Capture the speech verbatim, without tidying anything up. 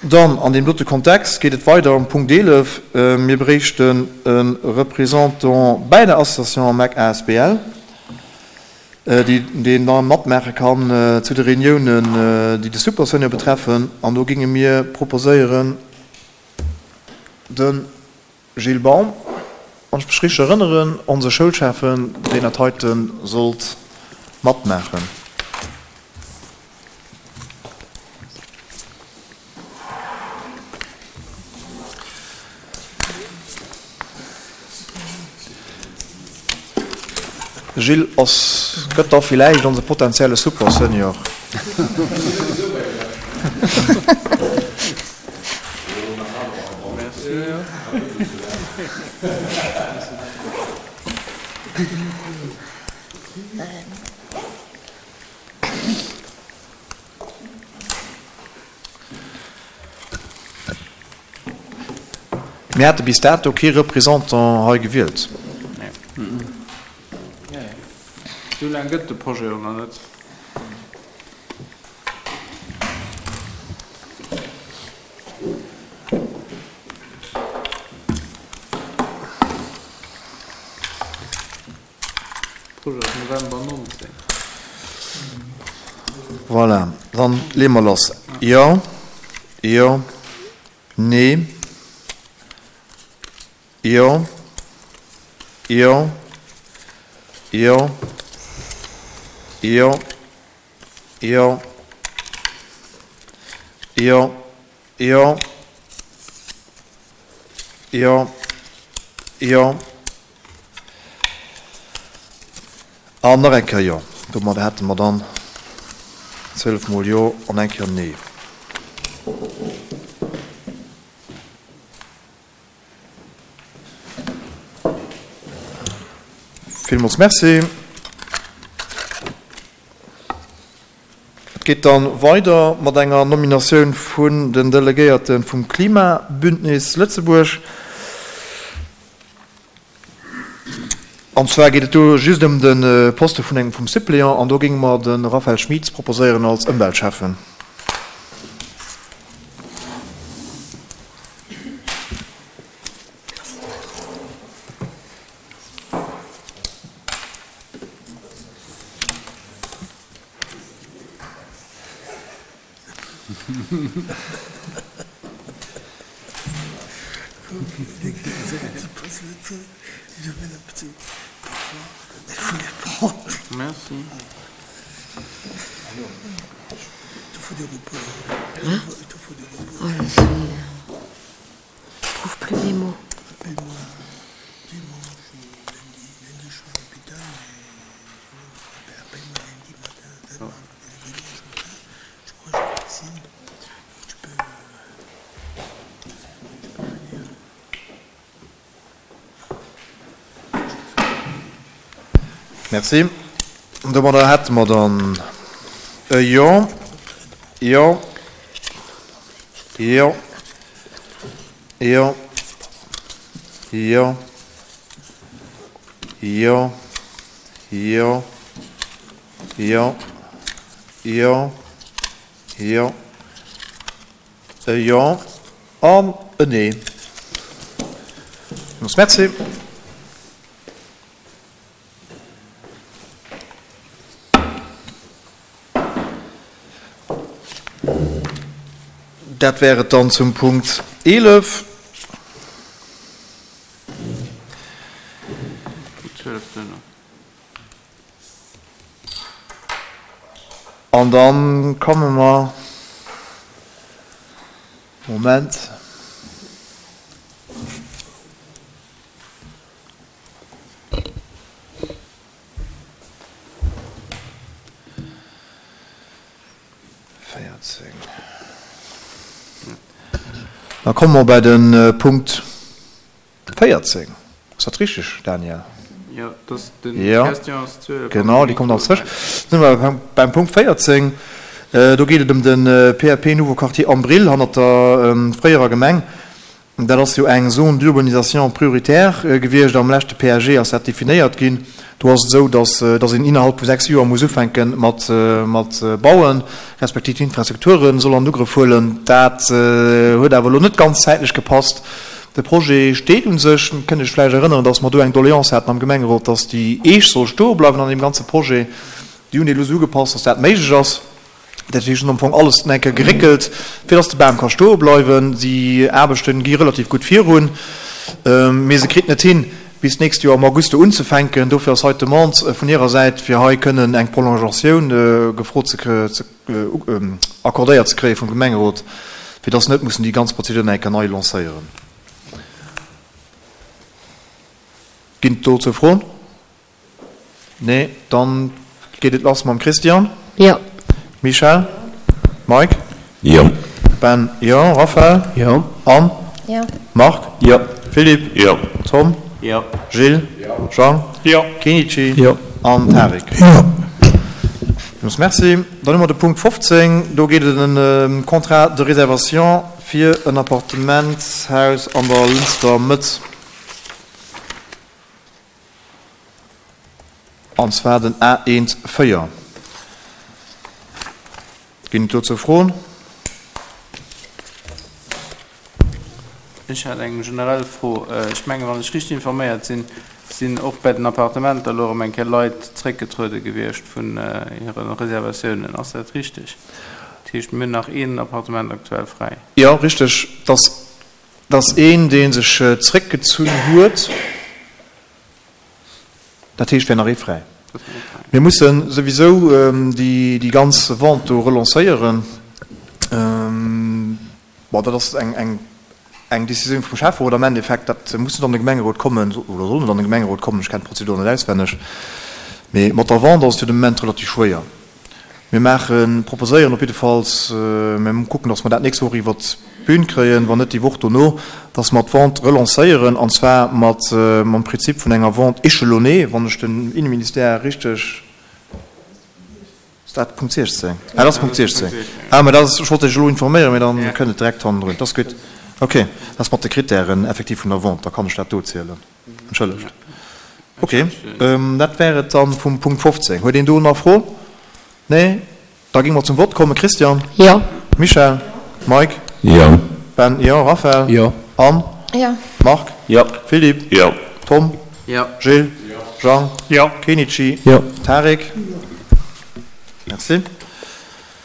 Dann an deem dote Kontext geet et weider um Punkt eelef. Mir bréichten e Représentant bäi der Association mec asbl, deen da matmaache kann zu de Reuniounen, déi de Supersenior betreffen. An do géinge mir proposéieren de Gilles Baum, wann ech mech richteg erënneren, onse Schoulschäffen, deen dat heite sollt matmaachen. Gilles ass, gëtt da villäicht onse potentielle Super-Senior. Mir hate bis dato kee Représentant hei gewielt. Esou laang gëtt de Projet jo nach net. Projet ass November nonzéng. Voilà, dann leeë mer lass. Jo, jo, nee, jo, jo, jo, jo, jo, jo, jo, jo, jo an nach eng Kéier jo. Domadder hätte mer dann zwielef mol jo an eng Kéier nee. Villmools Merci. Et geet dann weider mat enger Nominatioun vun den Delegéierte vum Klimabündnis Lëtzebuerg. An zwar geet et do just ëm de Poste vun engem vum Suppléant an do géinge mer de Raphaël Schmitz proposéieren als Ëmweltschäffen. Merci. Domadder hätte mer dann e Jo, Jo, Jo, Jo, Jo, Jo, Jo, Jo, Jo, Jo, e Jo an e Nee. Merci. Dat wär et dann zum Punkt eelef. An da komme mer, Moment. Véierzéng. Da komme mer bei de Punkt véierzéng. Ass dat richteg, Daniel? Jo, dat ass den Question ass zwielef. Genau, déi kommt als zwësch. Da si mer beim Punkt véierzéng. Do geet et ëm de P A P Nouveau Quartier Am Brill hannert der fréierer Gemeng. Dat ass jo eng Zone d'urbanisation prioritaire gewiescht. Am leschte P A G ass dat definéiert ginn. Do ass et esou, dass, dass een innerhalb vu sechs Joer muss ufänke mat, mat bauen, respektiv d'Infrastrukture soll an Ugrëff huelen. Dat huet awer elo net ganz zäitlech gepasst. De Projet steet u sech. Kënnt Iech vläicht erënneren, dass mer do eng Doléance haten am Gemengerot, dass déi Eech soll stoe bleiwen an deem ganze Projet. Déi hunn déi elo esou ugepasst, dass dat méiglech ass. Dat heescht, hunn am Fong alles eng Kéier geréckelt, fir dass de Bam ka stoe bleiwen. Déi Aarbechte gi relativ gutt virun, mee se kritt net hin, bis d'nächst Joer am August do unzefänken. Dofir ass hei d'Demande vun hirer Säit, fir hei kënnen eng Prolongatioun gefrot ze, accordéiert ze kréie vum Gemengerot, fir dass se net mussen déi ganz Prozedur nach eng Kéier nei lancéieren. Ginn et dozou Froen? Nee, dann geet et lass mam Christian. Jo. Michèle? Mike? Jo. Ben? Jo. Raphaël? Jo. Anne? Jo. Marc? Jo. Philippe? Jo. Tom? Jo. Gilles? Jo. Jean? Jo. Kenichi? Jo. An Tarik? Jo. Villmools Merci. Dann hu mer de Punkt fofzéng. Do geet et ëm e Contrat de réservation fir en Appartementshaus an der Lënster Mëtt, an zwar den A eent véier. Ginn et dozou Froen? Ech hätt eng generell Fro. Ech mengen, wann ech richteg informéiert sinn, sinn och bei den Appartementer elo erëm eng Kéier Leit zréckgetruede gewiescht vun hire Reservatiounen. Ass dat richteg? Dat heescht, mir hunn nach een Appartement aktuell fräi. Jo, richteg. Dat ass een, dee sech zréckgezunn huet. Dat heescht, wär nach ee fräi. Mir musse souwisou déi ganz Vente do relancéieren. Bon, dat ass eng eng Décisioun vum Schäfferot am Endeffekt. Dat muss net an de Gemengerot kommen oder soll net an de Gemengerot kommen. Ech kennen d'Prozedur net auswenneg. Mee mat der Vente ass et jo de Moment relativ schwéier. Mir maachen, proposéieren op jiddefalls, mir kucken, dass mer dat nächst Woch iwwert d'Bün kréien, wann net déi Woch dono, dass mer d'Vente relancéieren, an zwar mat mam Prinzip vun enger Vente échelonnée, wann ech den Inneministère richteg. Ass dat Punkt siechzéng? Ah, dat ass Punkt siechzéng. Ah, mä dat ass, ech wollt Iech elo informéieren, mä da kënnt et direkt hannendrun. Dat ass gutt. Okay, dat ass mat de Krittären effektiv vun der Vente, da kann ech dat do zielen. Entschëllegt. Okay, dat wär et dann vum Punkt fofzéng. Huet een do nach Froen? Nee? Da géinge mer zum Vott kommen. Christian? Jo. Michèle? Mike? Jo. Ben? Jo. Raphaël? Jo. Anne? Jo. Marc? Jo. Philippe? Jo. Tom? Jo. Gilles? Jo. Jean? Jo. Kenichi? Jo. Tarik? Merci.